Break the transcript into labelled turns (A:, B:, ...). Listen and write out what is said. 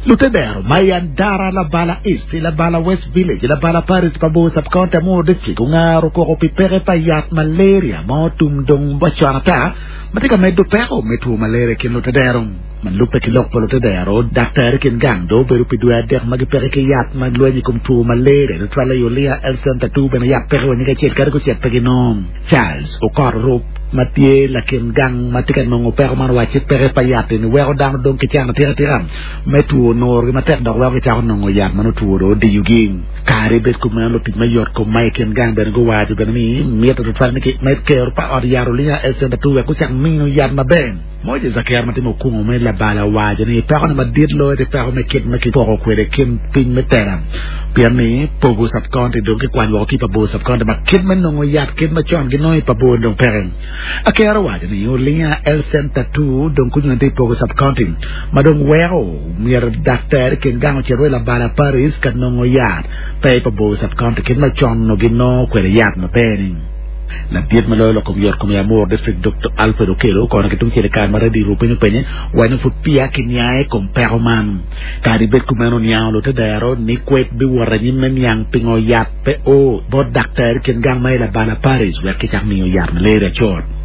A: Lutedero ma i Andara, Labala East, Labala West Village, Labala Parish pa Bor Sub-County Amuru District ongaro koko pi peke pa yat malaria ma otum dong wacon ata ma tye ka medo peko me two malaria i kin lutedero. Ma lubbe ki lok pa lutedero, daktar i kin gang dong obedo pi dwe adek ma gipeke ki yat ma lweny i kom two malaria tutwalle i Olinga Health Centre two bene yat peke wa nyige acel kadi gucit pe ginongo. Charles Okot Orup ma tye lakin gang ma tye ka nongo peko man owacci peke pa yat eni weko dano dong ki can atika tika me two nurgi matek dok weko gicako nongo yat ma nongo two dong odiyogi. Kadi bed kumeno lutic me yot kom ma i kin gang bene guwaco bene ni mitte tutwal ni ki med kero pa ot yat Olinga Health Centre two wek gucak miyo yat maber. Moses Aker ma timo kungo me labal owaco ni pekone madit loyo tye peko me kit ma kipoko kwede kin piny me tela pien ni Pogo Sub-County dong kikwanyo woko ki i Pabor Sub-County ma kit me nongo yat kit macon ginongo i Pabor dong peke. Aker owaco ni Olinga Health Center 2 dong kunyo tye i Pogo Sub-County ma dong weko myero daktar i kin gang ocit wa i Labala Parish ka nongo yat pe i Pabor Sub-County kit macon onongo ginongo kwede yat maber-ni. Ladit ma loyo lok kom yot kom i Amuru District Doktor Alfred Okello okono ki tungcel i kare ma Radio Rupiny openye waco ni pud peya kiniang i kom peko man. Kadi bed kumeno oniango lutedero ni kwed biwot anyim me niang pingo yat pe o bot daktar i kin gang ma i Labala Parish wek kicak miyo yat malaria cut.